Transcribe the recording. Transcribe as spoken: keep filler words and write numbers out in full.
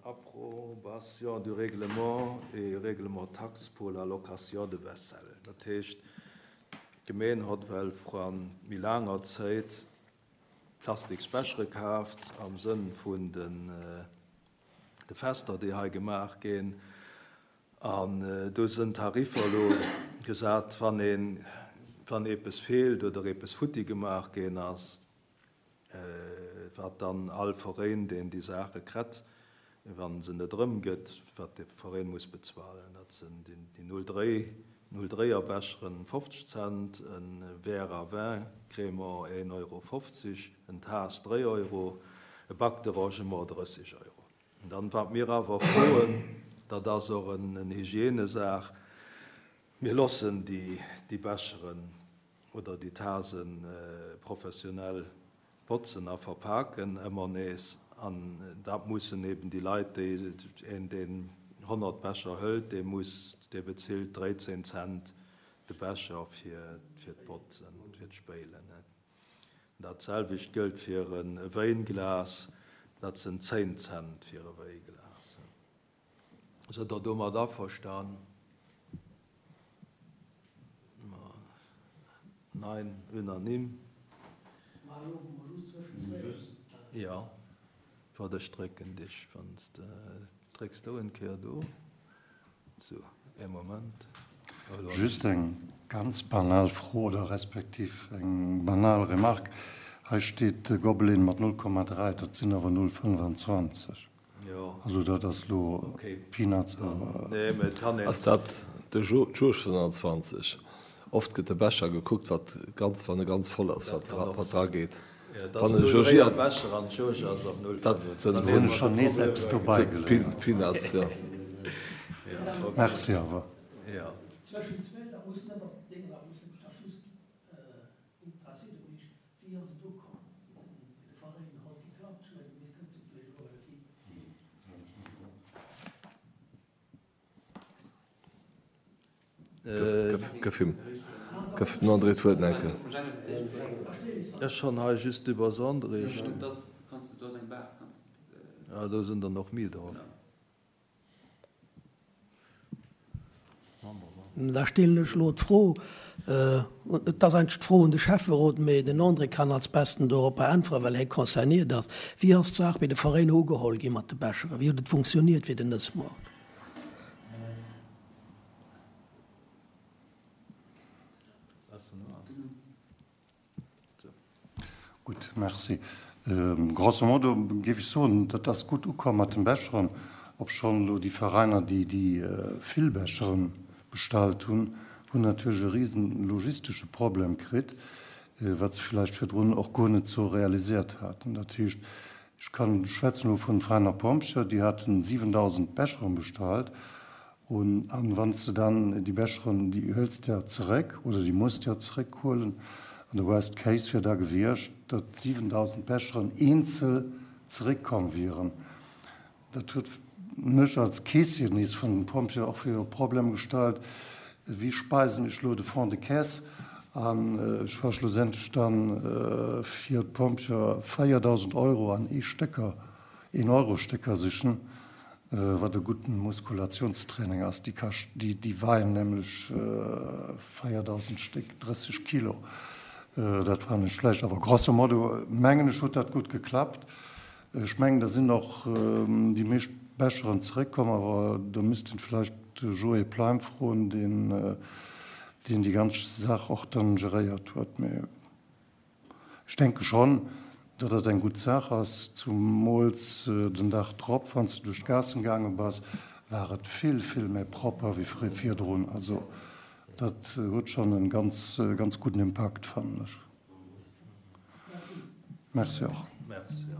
Approbation du règlement et règlement taxe pour la location de vaisselle. Dat heescht, d'Gemeen hott well vran méi laanger Zéit Plastiksbechere kaaft am Sënn vun den de Fester, déi hei gemaach ginn. An do sënn Tariffer elo gesat, wann een, wann eepes feelt oder eepes futti gemaach ginn ass, wat dann all Veréin, deen déi Saache krett, wa se net erëmgëtt, wat de Veréin muss bezuelen. Dat sinn déi null dréi, null dréier Becheren fofzeg Cent, e Verre à vin Crémant een Euro fofzeg, en Taass dréi Euro, e Bac de rangement drësseg Euro. An dann, wat mir awer froen, dat ass och en Hygiènesaach, mir loossen déi Becheren oder déi Tase professionell botzen a verpaken ëmmer nees. An dat mussen eben déi Leit, déi, een deen honnert Becher hëlt, dee muss, dee bezilt dréizéng Cent de Becher fir d'Botzen, fir d'Spéilen. Dat selwecht gëllt fir e Wéinglas, dat sinn zéng Cent fir e Wéiglas. Sidd Der domat averstan? Nein, unanime. Jo, waart, ech drécken dech, wann s de drécks do en Kéier do. Sou, ee Moment. Just eng ganz banal Fro oder respektiv eng banal Remarque. Hei steet de Gobelin mat null Komma dräi, dat sinn awer null fënnwanzwanzeg. Also dat ass elo Peanuts, awer. Ass dat de Jauge fënnwanzwanzeg? Oft gëtt de Becher gekuckt, wat ganz, wann e ganz voll ass, wat dra geet. Wann e jaugiert, dat sinn schonn nees eppes dobei geléiert. Peanuts, jo. Merci awer. Gëff him, gëff dem André d'Wuert, Enkel. Ech han hei just iwwer André stinn. Ah, do sinn der nach méi drop. Da stellen ech elo d'Fro, et ass eigentlech d'Fro un de Schäfferot, mee den André kann als Besten doropper äntweren, well hie concerniert ass, Wéi ass d'Saach bei de Veräiner ugeholl gi mat de Becheren? Wéi huet et funktioniert fir den Nëssmoart? Gutt, merci. Grosso modo géif ech soen, dat ass gutt ukomm mat den Becheren, obschonn elo déi Veräiner, déi déi vill Becheren bestallt hunn, hunn natierlech e risen logistesche Problem kritt, wat se villäicht virdrun och guer net sou realisiert haten. Dat heescht, ech kann, schwätzen elo vun Veräiner Pompjeeë, déi haten siwendausend Becheren bestallt Un, an wann s de dann déi Becheren, déi hëls de ja zeréck oder déi muss de ja zeréckhuelen, an de worst case wier da gewiescht, datt siwendausend Becheren eenzel zeréckkomm wieren. Dat huet mech als Keessier nees vun den Pompjeeën och virun e Problem gestallt, Wéi speisen ech elo de Fonds de caisse? An ech war schlussendlech dann fir d'Pompjeeë véierdausend Euro an ee Stécker, een-Euro-Stécker sichen. Wat e gudden Muskulationstraining ass. Déi kascht, déi weien nämlech véierdausend Stéck, drësseg Kilo. Dat war net schlecht. Awer grosso modo mengen ech huet dat gutt geklappt. Ech mengen da sinn och déi meescht Becheren zeréckkomm, awer do misst een vläicht de Joé Pleim froen, deen deen déi ganz Saach och dann geréiert huet. Mee Ech denke schonn, datt dat eng gutt Saach ass, zumools den Dag drop, wann s de duerch d'Gaassen gaange bass, war et vill, vill méi propper wéi virdrun. Also dat huet schonn e ganz, ganz gudden Impakt, fannen ech. Merci och. Merci.